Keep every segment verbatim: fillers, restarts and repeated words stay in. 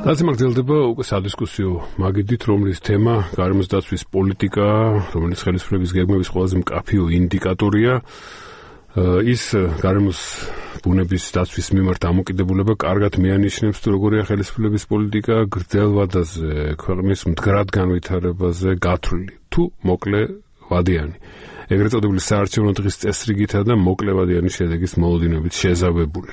ასე მაგდელდება უკვე სადისკუსიო მაგიდით, რომლის თემა გარემოს დაცვის პოლიტიკა, რომელიც ხელისუფლების გეგმების ყველაზე მკაფიო ინდიკატორია. ის გარემოს ბუნების დაცვის მიმართ დამოკიდებულება კარგად მეანიშნებს თუ როგორია ხელისუფლების პოლიტიკა გრძელ ვადაზე, ქვეყნის მდგრად განვითარებაზე გათვლილი თუ მოკლე ვადიანი. ეგრეთ წოდებული საარჩევნო დღის წესრიგითა და მოკლე ვადიანი შედეგის მოლოდინებით შეზავებული.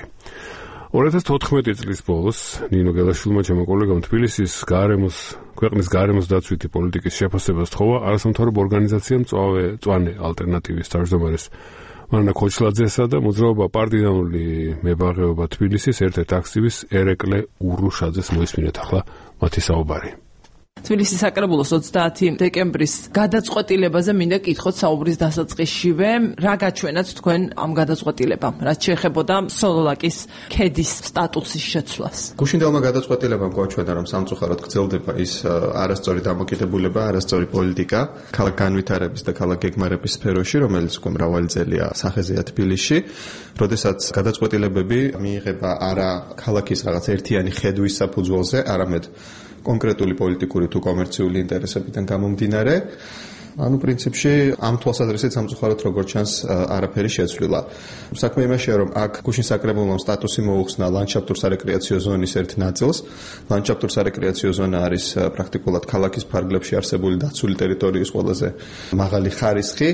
ორი ათას თოთხმეტი წლის ბოლოს ნინო გელაშვილმა ჩემო კოლეგამ თბილისის გარემოს ქვეყნის გარემოს დაცვითი პოლიტიკის შეფასებას თხოვა არასამთავრობო ორგანიზაციამ მწვანე ალტერნატივის თავმჯდომარეს მარინა ქოჩლაძესა და მოძრაობა პარტიზანული მებაღეობა თბილისის ერთ-ერთ აქტივის ერეკლე ურუშაძეს მოისმინეთ ახლა მათი საუბარი. თბილისის საკრებულოს ოცდაათი დეკემბრის გადაწყვეტილებაზე მინდა კითხოთ საუბრის დასაწყისშივე, რა გაჩვენათ თქვენ ამ გადაწყვეტილებამ, რაც შეეხებოდა სოლოლაკის ქედის სტატუსის შეცვლას. გუშინდელმა გადაწყვეტილებამ გვაჩვენა, რომ სამწუხაროდ გრძელდება ის არასწორი დამოკიდებულება, არასწორი პოლიტიკა ქალაქ განვითარების და ქალაქ გეგმარების სფეროში, რომელიც უკვე მრავალი წელია სახეზეა თბილისში, როდესაც გადაწყვეტილებები მიიღება არა ქალაქის რაღაც ერთიანი ხედვის საფუძველზე, არამედ კონკრეტული პოლიტიკური თუ კომერციული ინტერესებიდან გამომდინარე. ანუ პრინციპში ამ თვალსაზრისით სამწუხაროდ როგორც ჩანს არაფერი შეცვლილა. საქმე იმაშია, რომ აქ გუშინ საკრებულომ სტატუსი მოუხსნა ლანდშაფტურ სარეკრეაციო ზონის ერთ ნაწილს. ლანდშაფტურ სარეკრეაციო ზონა არის პრაქტიკულად ქალაქის ფარგლებში არსებული დაცული ტერიტორიის ყველაზე მაღალი ხარისხი.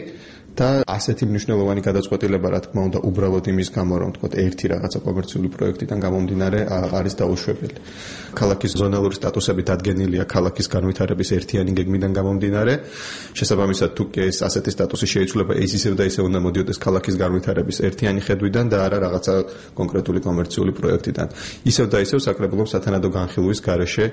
და ასეთი მნიშვნელოვანი გადაწყვეტილება, რა თქმა უნდა, უბრალოდ იმის გამო, რომ თქვა ერთი რაღაცა კომერციული პროექტიდან გამომდინარე არის დაუშვებელი. ქალაქის ზონალური სტატუსები დადგენილია ქალაქის განვითარების ერთიანი გეგმიდან გამომდინარე. შესაბამისად, თუ კი ეს ასეთი სტატუსი შეიცვლება, ის ისევ და ისევ უნდა მოდიოდეს ქალაქის განვითარების ერთიანი ხედვიდან და არა რაღაცა კონკრეტული კომერციული პროექტიდან. ისევ და ისევ საკრებულომ სათანადო განხილვის გარეშე,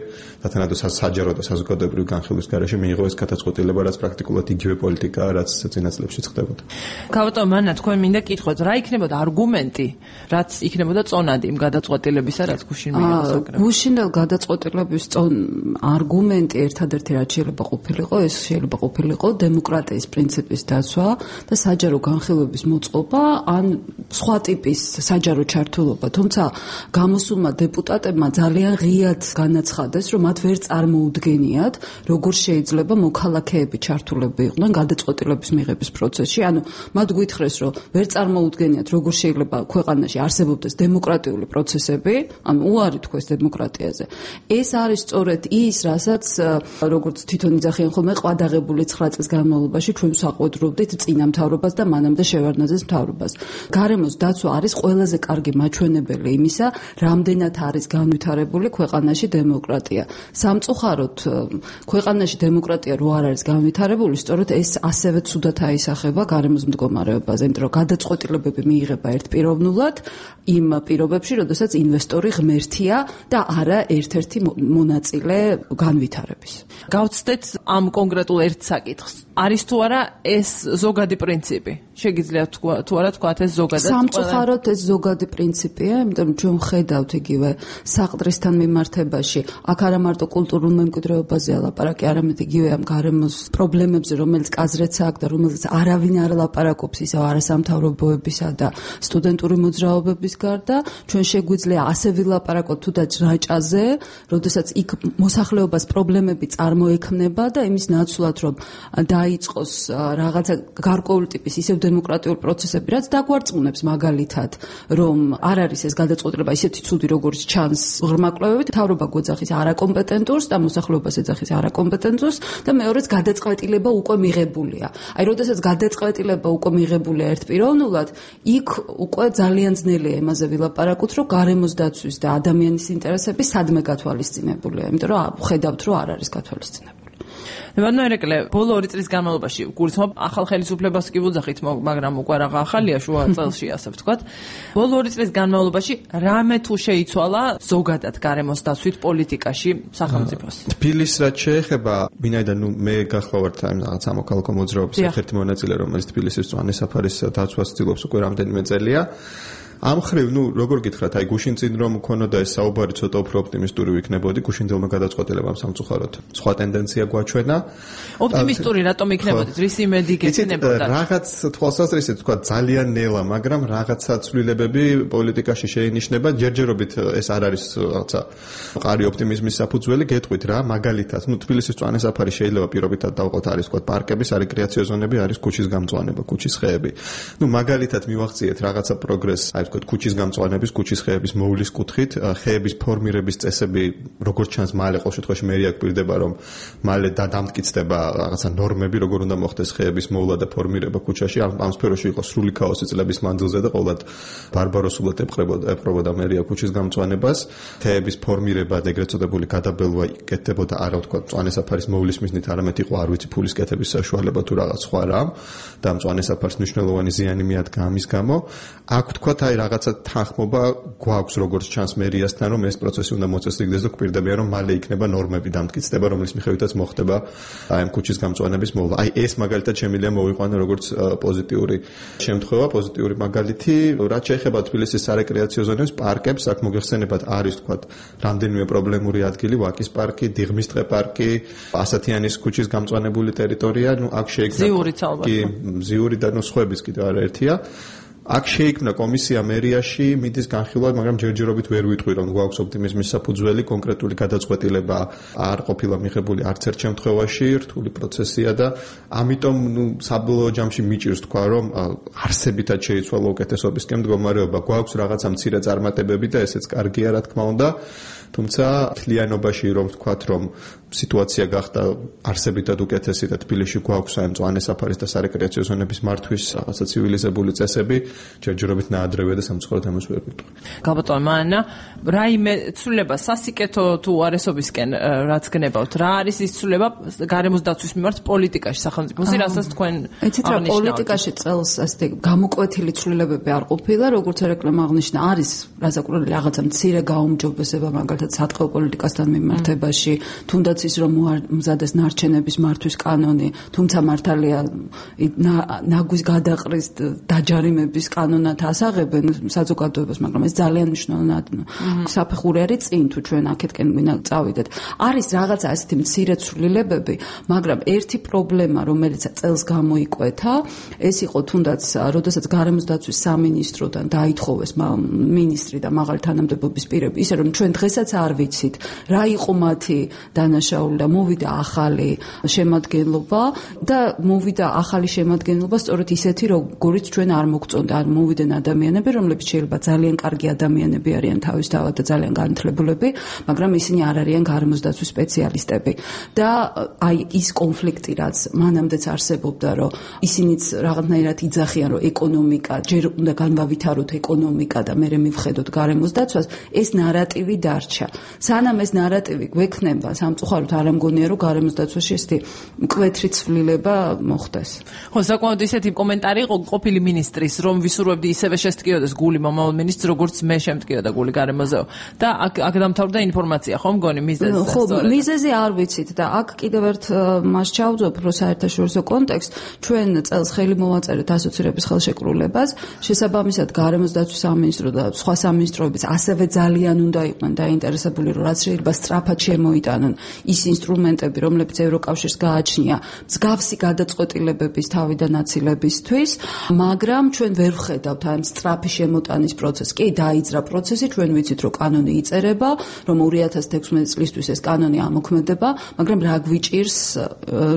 სათანადო საჯარო და საზოგადოებრივი განხილვის გარეშე მიიღო ეს გადაწყვეტილება, რაც პრაქტიკულად იგივე პოლიტიკაა, რაც წინა წლებში გავატო მანა თქვენ მინდა კითხოთ რა იქნებოდა არგუმენტი რაც იქნებოდა წონადი იმ გადაწყვეტილებისა რაც გუშინ მიიღო საკრებულო გუშინდელ გადაწყვეტილების არგუმენტი ერთადერთი რაც შეიძლება ყოფილიყო ეს შეიძლება ყოფილიყო დემოკრატიის პრინციპის დაცვა და საჯარო განხილვების მოწყობა ან სხვა ტიპის საჯარო ჩართულობა თუმცა გამოსულმა დეპუტატებმა ძალიან ღიად განაცხადეს რომ მათ ვერ წარმოუდგენიათ როგორ შეიძლება მოქალაქეები ჩართულები იყვნენ გადაწყვეტილების მიღების პროცესში ანუ მათ გითხრეს რომ ვერ წარმოუდგენიათ როგორ შეიძლება ქვეყანაში არსებობდეს დემოკრატიული პროცესები ანუ უარი თქვეს დემოკრატიაზე ეს არის სწორედ ის რასაც როგორც თვითონ იძახიან ხოლმე ყვადაღებული ცხრა წლის განმავლობაში ჩვენ საყვედრობდით წინა მთავრობას და მანამდე შევარდნაძის მთავრობას გარემოს დაცვა არის ყველაზე კარგი მაჩვენებელი იმისა რამდენად არის განვითარებული ქვეყანაში დემოკრატია სამწუხაროდ ქვეყანაში დემოკრატია რო არ არის განვითარებული სწორედ ეს ასევე ცუდად აისახება გარემოს მდგომარეობაზე, იმიტომ რომ გადაწყვეტილებები მიიღება ერთპიროვნულად იმ პირობებში, როდესაც ინვესტორი ღმერთია და არა ერთ-ერთი მონაწილე განვითარების. გავცდეთ ამ კონკრეტულ ერთ საკითხს. არის თუ არა ეს ზოგადი პრინციპი? შეგიძლიათ თუ არა თქვათ ეს ზოგადად? სამწუხაროდ ეს ზოგადი პრინციპია, იმიტომ რომ ჩვენ ხედავთ იგივე საყდრისთან მიმართებაში, აქ არა მარტო კულტურულ მემკვიდრეობაზეა ლაპარაკი, არამედ იგივე ამ გარემოს პრობლემებზე, რომელიც კაზრეც აქვს და რომელიც არავინ არ ლაპარაკობს ისევ არასამთავრობოებისა და სტუდენტური მოძრაობების გარდა, ჩვენ შეგვიძლია ასე ვილაპარაკოთ თუდაც რაჭაზე, როდესაც იქ მოსახლეობას პრობლემები წარმოექმნება და იმის ნაცვლად რომ დაიწყოს რაღაცა გარკვეული ტიპის ისევ დემოკრატიული პროცესები, რაც დაგვარწმუნებს მაგალითად, რომ არ არის ეს გადაწყვეტილება ისეთი ცუდი, როგორც ჩანს ღრმა კვლევებით, მთავრობა გვეძახის არაკომპეტენტურს და მოსახლეობას ეძახის არაკომპეტენტურს და მეორეც გადაწყვეტილება უკვე მიღებულია. აი, როდესაც გადაწყვეტილება უკვე მიღებულია ერთპიროვნულად, იქ უკვე ძალიან ძნელია იმაზე ვილაპარაკოთ, რომ გარემოს დაცვის და ადამიანის ინტერესები სადმე გათვალისწინებულია, იმიტომ რომ ხედავთ, რომ არ არის გათვალისწინებული. ნებადო ერეკლე, ბოლო ორი წლის განმავლობაში გულისხმობ ახალ ხელისუფლებას კი ვუძახით, მაგრამ უკვე რაღა ახალია შუა წელში, ასე ვთქვათ. ბოლო ორი წლის განმავლობაში რამე თუ შეიცვალა ზოგადად გარემოს დაცვით პოლიტიკაში სახელმწიფოს? თბილისს რაც შეეხება, ვინაიდან ნუ მე გახლავართ ამ რაღაც სამოქალაქო მოძრაობის ერთ-ერთი მონაწილე, რომელიც თბილისის მწვანე საფარის დაცვას ცდილობს უკვე რამდენიმე წელია. ამ ხრივ, ნუ როგორ გითხრათ, აი გუშინ წინ რომ მქონოდა ეს საუბარი ცოტა უფრო ოპტიმისტური ვიქნებოდი, გუშინძელმა გადაწყვეტილებამ სამწუხაროდ სხვა ტენდენცია გვაჩვენა. ოპტიმისტური რატომ იქნებოდით? რის იმედი გექნებოდა? რაღაც თვალსაზრისით თქვა ძალიან ნელა, მაგრამ რაღაცა ცვლილებები პოლიტიკაში შეინიშნება. ჯერჯერობით ეს არ არის რაღაცა მყარი ოპტიმიზმის საფუძველი, გეტყვით რა, მაგალითად, ნუ თბილისის მწვანე-საფარი შეიძლება პირობითად დავყოთ, არის თქვა პარკების, არის რეკრეაციო ზონები, არის ქუჩის გამწვანება, ქუჩის ხეები. ნუ მაგალითად მივახციეთ რაღაცა პროგრესს, აი თქვა ქუჩის გამწვანების, ქუჩის ხეების მოვლის კუთხით, ხეების ფორმირების წესები, როგორც ჩანს, მალე ყოველ შემთხვევაში მერია გვპირდება, რომ მალე დამტკიცდება რაღაცა ნორმები, როგორ უნდა მოხდეს ხეების მოვლა და ფორმირება ქუჩაში. ამ ამ სფეროში იყო სრული ქაოსი წლების მანძილზე და ყოველად ბარბაროსულად ეპყრებოდა ეპყრებოდა მერია ქუჩის გამწვანებას. ხეების ფორმირება და ეგრეთ წოდებული გადაბელვა იკეთებოდა არა თქვა მწვანე-საფარის მოვლის მიზნით, არამედ იყო არ ვიცი ფულის კეთების საშუალება თუ რაღაც სხვა რამ და მწვანე-საფარს მნიშვნელოვანი ზიანი მიადგა ამის გამო. აქ თქვათ აი რაღაცა თანხმობა გვაქვს როგორც ჩანს მერიასთან, რომ ეს პროცესი უნდა მოწესრიგდეს და გვპირდებიან, რომ მალე იქნება ნორმები დამტკიცდება, რომლის მიხედვითაც მოხდება აი ამ ქუჩის გამწვანების მოვლა. აი ეს მაგალითად შემიძლია მოვიყვანო როგორც პოზიტიური შემთხვევა, პოზიტიური მაგალითი, რაც შეეხება თბილისის სარეკრეაციო ზონებს, პარკებს, აქ მოგეხსენებათ არის თქვათ რამდენიმე პრობლემური ადგილი, ვაკის პარკი, დიღმის ტყე პარკი, ასათიანის ქუჩის გამწვანებული ტერიტორია, ნუ აქ შეიქმნა ზიურიც ალბათ. კი, ზიური და ნუ სხვების კიდევ არაერთია. აქ შეიქმნა კომისია მერიაში მიდის განხილვა, მაგრამ ჯერჯერობით ვერ ვიტყვი, რომ გვაქვს ოპტიმიზმის საფუძველი, კონკრეტული გადაწყვეტილება არ ყოფილა მიღებული არც ერთ შემთხვევაში, რთული პროცესია და ამიტომ ნუ საბოლოო ჯამში მიჭირს თქვა, რომ არსებითად შეიცვალა უკეთესობისკენ მდგომარეობა. გვაქვს რაღაცა მცირე წარმატებები და ესეც კარგია, რა თქმა უნდა. თუმცა თლიანობაში რომ ვთქვათ, რომ სიტუაცია გახდა არსებითად უკეთესი და თბილისში გვაქვს აი მწვანე-საფარის და სარეკრეაციო ზონების მართვის რაღაცა ცივილიზებული წესები, ჯერჯერობით ნაადრევია და სამწუხაროდ ამას ვერ ვიტყვი. გაბატონო მანა, რაიმე ცვლილება სასიკეთო თუ არესობისკენ რაც გნებავთ, რა არის ის ცვლილება გარემოს დაცვის მიმართ პოლიტიკაში სახელმწიფოსი, რასაც თქვენ აღნიშნავთ? პოლიტიკაში წელს ასეთი გამოკვეთილი ცვლილებები არ ყოფილა, როგორც რეკლამა აღნიშნა, არის რაზაკურელი რაღაცა მცირე გაუმჯობესება მაგალითად სატყეო პოლიტიკასთან მიმართებაში, თუნდაც ის რომ მზადეს ნარჩენების მართვის კანონი, თუმცა მართალია ნაგვის გადაყრის დაჯარიმების კანონად ასაღებენ საზოგადოებას, მაგრამ ეს ძალიან მნიშვნელოვანი საფეხური არის წინ თუ ჩვენ აქეთკენ გვინდა წავიდეთ. არის რაღაცა ასეთი მცირე ცვლილებები, მაგრამ ერთი პრობლემა, რომელიც წელს გამოიკვეთა, ეს იყო თუნდაც როდესაც გარემოს დაცვის სამინისტროდან დაითხოვეს მინისტრი და მაღალი თანამდებობის პირები, ისე რომ ჩვენ დღესაც არ ვიცით, რა იყო მათი დანაშაული და მოვიდა ახალი შემადგენლობა და მოვიდა ახალი შემადგენლობა სწორედ ისეთი, როგორიც ჩვენ არ მოგწონდა. არ მოვიდნენ ადამიანები, რომლებიც შეიძლება ძალიან კარგი ადამიანები არიან თავისთავად და ძალიან განათლებულები, მაგრამ ისინი არ არიან გარემოს დაცვის სპეციალისტები. და აი ის კონფლიქტი, რაც მანამდეც არსებობდა, რომ ისინიც რაღაცნაირად იძახიან, რომ ეკონომიკა, ჯერ უნდა განვავითაროთ ეკონომიკა და მერე მივხედოთ გარემოს დაცვას, ეს ნარატივი დარჩა. სანამ ეს ნარატივი გვექნება, სამწუხაროდ არ ამგონია, რომ გარემოს დაცვაში ესეთი მკვეთრი ცვლილება მოხდეს. ხო, საკმაოდ ისეთი კომენტარი იყო ყოფილი მინისტრის, რომ ვისურვებდი ისევე შესტკიოდეს გული მომავალ მინისტრს, როგორც მე შემტკიოდა გული გარემოზეო. და აქ აქ დამთავრდა ინფორმაცია, ხო მგონი მიზეზზე? ხო, მიზეზი არ ვიცით და აქ კიდევ ერთ მას ჩავძობ, რომ საერთაშორისო კონტექსტ, ჩვენ წელს ხელი მოვაწერეთ ასოცირების ხელშეკრულებას, შესაბამისად გარემოს დაცვის სამინისტრო და სხვა სამინისტროებიც ასევე ძალიან უნდა იყვნენ დაინტერესებული, რომ რაც შეიძლება სწრაფად შემოიტანონ ის ინსტრუმენტები, რომლებიც ევროკავშირს გააჩნია მსგავსი გადაწყვეტილებების თავიდან აცილებისთვის, მაგრამ ჩვენ ვერ ვხედავთ ამ სწრაფი შემოტანის პროცესს. კი, დაიძრა პროცესი, ჩვენ ვიცით, რომ კანონი იწერება, რომ ორი ათას თექვსმეტი წლისთვის ეს კანონი ამოქმედება, მაგრამ რა გვიჭირს,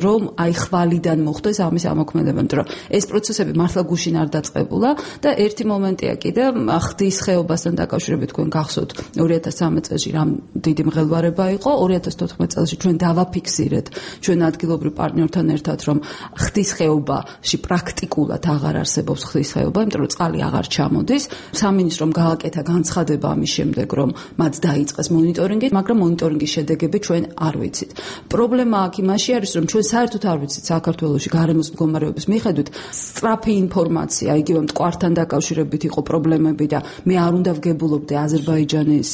რომ აი ხვალიდან მოხდეს ამის ამოქმედება, იმიტომ რომ ეს პროცესები მართლა გუშინ არ დაწყებულა და ერთი მომენტია კიდე ხდის ხეობასთან დაკავშირებით თქვენ გახსოვთ ორი ათას ცხრამეტ წელს რამ დიდი მღელვარება იყო, ორი ათას თოთხმეტ წელს ჩვენ დავაფიქსირეთ ჩვენ ადგილობრივ პარტნიორთან ერთად, რომ ხდის ხეობაში პრაქტიკულად აღარ არსებობს ხდის ხეობა, იმიტომ რომ წყალი აღარ ჩამოდის. სამინისტრომ გააკეთა განცხადება ამის შემდეგ, რომ მათ დაიწყეს მონიტორინგი, მაგრამ მონიტორინგის შედეგები ჩვენ არ ვიცით. პრობლემა აქ იმაში არის, რომ ჩვენ საერთოდ არ ვიცით საქართველოში გარემოს მდგომარეობის მიხედვით სწრაფი ინფორმაცია, იგივე მტკვართან დაკავშირებით იყო პრობლემები და მე არ უნდა ვგებულობდე აზერბაიჯანის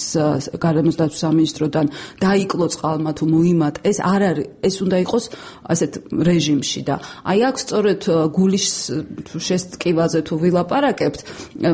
გარემოს დაცვის სამინისტროდან დაიკლო წყალმა თუ მოიმატ, ეს არ არის, ეს უნდა იყოს ასეთ რეჟიმში და აი აქ სწორედ გულის შესტკივაზე თუ ვილაპარაკებთ,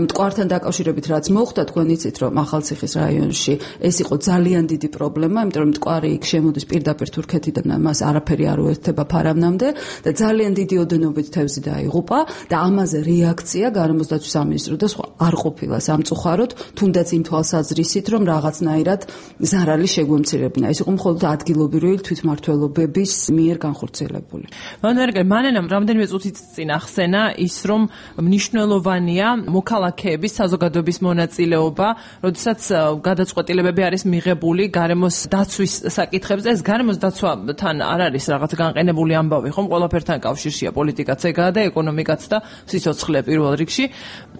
მტკვართან დაკავშირებით რაც მოხდა, თქვენ იცით, რომ ახალციხის რაიონში ეს იყო ძალიან დიდი პრობლემა, იმიტომ რომ მტკვარი იქ შემოდის პირდაპირ თურქეთიდან, მას არაფერი არ უერთდება ფარავნამდე და ძალიან დიდი ოდენობით თევზი დაიღუპა და ამაზე რეაქცია გარემოს დაცვის სამინისტრო და სხვა არ ყოფილა სამწუხაროდ, თუნდაც იმ თვალსაზრისით, რომ რაღაცნაირად ზარალი შეგვემცირებინა. ეს იყო მხოლოდ ადგილობრივი თვითმმართველობების მიერ განხორციელებული. მანერგე მანენამ რამდენიმე წუთით წინ ახსენა ის, რომ მნიშვნელოვანია მოქალაქეების საზოგადოების მონაწილეობა, როდესაც გადაწყვეტილებები არის მიღებული გარემოს დაცვის საკითხებზე. ეს გარემოს დაცვასთან არ არის რაღაც განყენებული ამბავი, ხომ? ყველაფერთან კავშირშია პოლიტიკაც ეგაა და ეკონომიკაც და სიცოცხლე პირველ რიგში.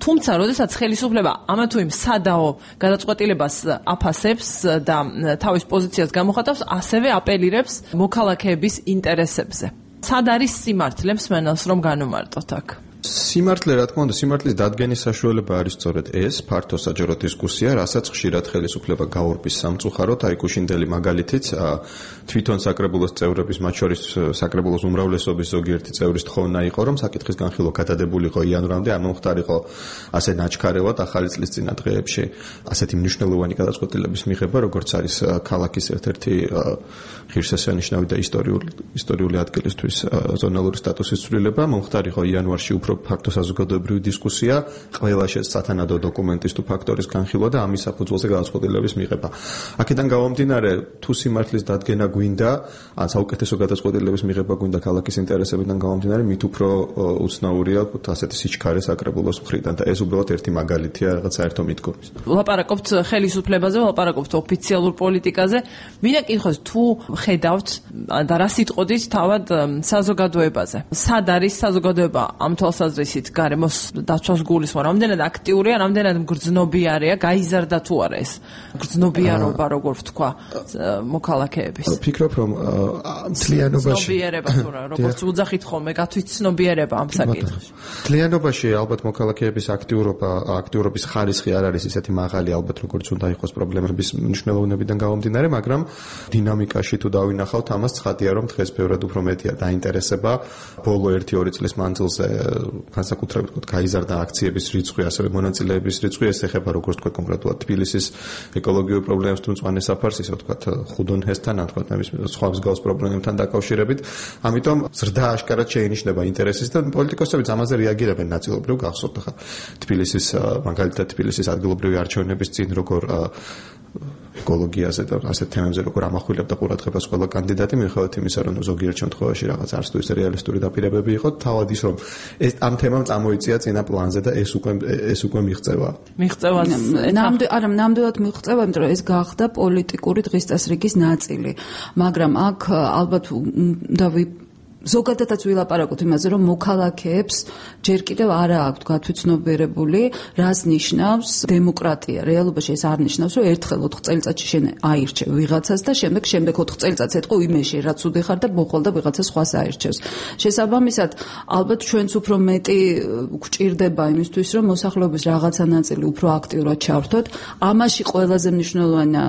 თუმცა, როდესაც ხელისუფლება ამა თუ იმ სადაო გადაწყვეტილებას აფასებს და თავის პოზიციას გამოხატავს, ასევე აპელირებს მოქალაქეების ინტერესებზე. სად არის სიმართლე მსმენელს რომ განუმარტოთ აქ? სიმართლე, რა თქმა უნდა, სიმართლის დადგენის საშუალება არის სწორედ ეს, ფართო საჯარო დისკუსია, რასაც ხშირად ხელისუფლება გაურბის სამწუხაროდ, აი გუშინდელი მაგალითიც თვითონ საკრებულოს წევრების, მათ შორის საკრებულოს უმრავლესობის ზოგიერთი წევრის თხოვნა იყო, რომ საკითხის განხილვა გადადებულიყო იანვრამდე, არ მომხდარიყო ასე ნაჩქარევად ახალი წლის წინა დღეებში ასეთი მნიშვნელოვანი გადაწყვეტილების მიღება, როგორც არის ქალაქის ერთ-ერთი ღირსშესანიშნავი და ისტორიული ისტორიული ადგილისთვის ზონალური სტატუსის ცვლილება, მომხდარიყო იანვარში უფრო ფაქტო საზოგადოებრივი დისკუსია, ყველა შესაძანადო დოკუმენტის თუ ფაქტორის განხილვა და ამის საფუძველზე გადაწყვეტილების მიღება. აქედან გამომდინარე, თუ სიმართლის დადგენა გვინდა, ან საუკეთესო გადაწყვეტილების მიღება გვინდა ქალაქის ინტერესებიდან გამომდინარე, მით უფრო უცნაურია ასეთი სიჩქარე საკრებულოს მხრიდან და ეს უბრალოდ ერთი მაგალითია რაღაც საერთო მიდგომის. ვლაპარაკობთ ხელისუფლებაზე, ვლაპარაკობთ ოფიციალურ პოლიტიკაზე. მინდა კითხოს, თუ ხედავთ და რა სიტყოდით თავად საზოგადოებაზე. სად არის საზოგადოება ამ თვალსაზრისით გარემოს დაცვას გულისხმობს, რამდენად აქტიურია, რამდენად მგრძნობიარეა, გაიზარდა თუ არა ეს მგრძნობიარობა, როგორ ვთქვა, მოქალაქეების. ვფიქრობ, რომ მთლიანობაში ცნობიერება თუ რა, როგორც უძახით ხოლმე, გათვითცნობიერება ამ საკითხში. მთლიანობაში ალბათ მოქალაქეების აქტიურობა, აქტიურობის ხარისხი არ არის ისეთი მაღალი, ალბათ როგორც უნდა იყოს პრობლემების მნიშვნელობიდან გამომდინარე, მაგრამ დინამიკაში თუ დავინახავთ, ამას ცხადია, რომ დღეს ბევრად უფრო მეტია დაინტერესება ბოლო ერთი-ორი წლის მანძილზე განსაკუთრებით ვთქვათ, გაიზარდა აქციების რიცხვი, ასევე მონაწილეების რიცხვი, ეს ეხება როგორც თქვა კონკრეტულად თბილისის ეკოლოგიურ პრობლემებს თუ მწვანე საფარს, ისე ვთქვათ ხუდონჰესთან, ან თქვათ სხვა მსგავს პრობლემებთან დაკავშირებით. ამიტომ ზრდა აშკარად შეინიშნება ინტერესის და პოლიტიკოსებიც ამაზე რეაგირებენ ნაწილობრივ გახსოვთ ახლა თბილისის მაგალითად თბილისის ადგილობრივი არჩევნების წინ როგორ ეკოლოგიაზე და ასეთ თემებზე როგორ ამახვილებდა ყურადღებას ყველა კანდიდატი, მიუხედავად იმისა, რომ ზოგიერთ შემთხვევაში რაღაც არც თუ ისე რეალისტური დაპირებები იყო, თავად ის რომ ეს ამ თემამ წამოიწია წინა პლანზე და ეს უკვე ეს უკვე მიღწევა. მიღწევა ნამდვილად არა, ნამდვილად მიღწევა, იმიტომ რომ ეს გახდა პოლიტიკური დღის წესრიგის ნაწილი. მაგრამ აქ ალბათ უნდა ზოგადადაც ვილაპარაკოთ იმაზე, რომ მოქალაქეებს ჯერ კიდევ არა აქვთ გათვითცნობიერებული, რას ნიშნავს დემოკრატია. რეალობაში ეს არ ნიშნავს, რომ ერთხელ ოთხ წელიწადში შენ აირჩევ ვიღაცას და შემდეგ შემდეგ ოთხ წელიწადს ეთქო იმეში, რაც უდიხარ ხარ და მოხვალ და ვიღაცა სხვას აირჩევს. შესაბამისად, ალბათ ჩვენც უფრო მეტი გვჭირდება იმისთვის, რომ მოსახლეობის რაღაცა ნაწილი უფრო აქტიურად ჩავრთოთ. ამაში ყველაზე მნიშვნელოვანი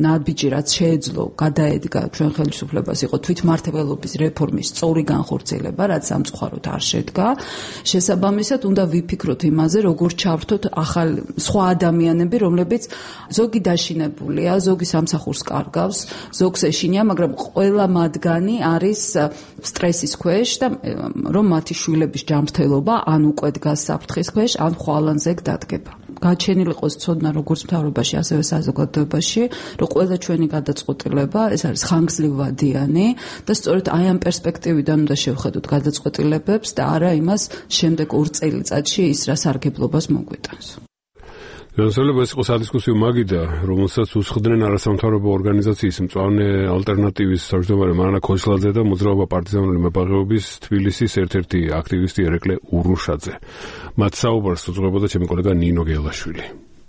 ნაბიჯი, რაც შეეძლო, გადაედგა ჩვენ ხელისუფლებას, იყო თვითმმართველობის რეფორმის ორი განხორციელება, რაც სამწუხაროდ არ შედგა. შესაბამისად, უნდა ვიფიქროთ იმაზე, როგორ ჩავრთოთ ახალ სხვა ადამიანები, რომლებიც ზოგი დაშინებულია, ზოგი სამსახურს კარგავს, ზოგს ეშინია, მაგრამ ყველა მათგანი არის სტრესის ქვეშ და რომ მათი შვილების ჯანმრთელობა ან უკვე დგას საფრთხის ქვეშ, ან ხვალანზე დადგება. გაჩენილი იყოს ცოდნა როგორც მთავრობაში, ასევე საზოგადოებაში, რომ ყველა ჩვენი გადაწყვეტილება ეს არის ხანგრძლივვადიანი და სწორედ აი ამ პერსპექტივიდან უნდა შევხედოთ გადაწყვეტილებებს და არა იმას შემდეგ ორ წელიწადში ის რა სარგებლობას მოგვიტანს. განსაკუთრებით ეს იყო სადისკუსიო მაგიდა, რომელსაც უსხდნენ არასამთავრობო ორგანიზაციის მწვანე ალტერნატივის თავმჯდომარე მარანა ქოჩლაძე და მოძრაობა პარტიზანული მებაღეობის თბილისის ერთ-ერთი აქტივისტი ერეკლე ურუშაძე. მათ საუბარს უძღვებოდა ჩემი კოლეგა ნინო გელაშვილი.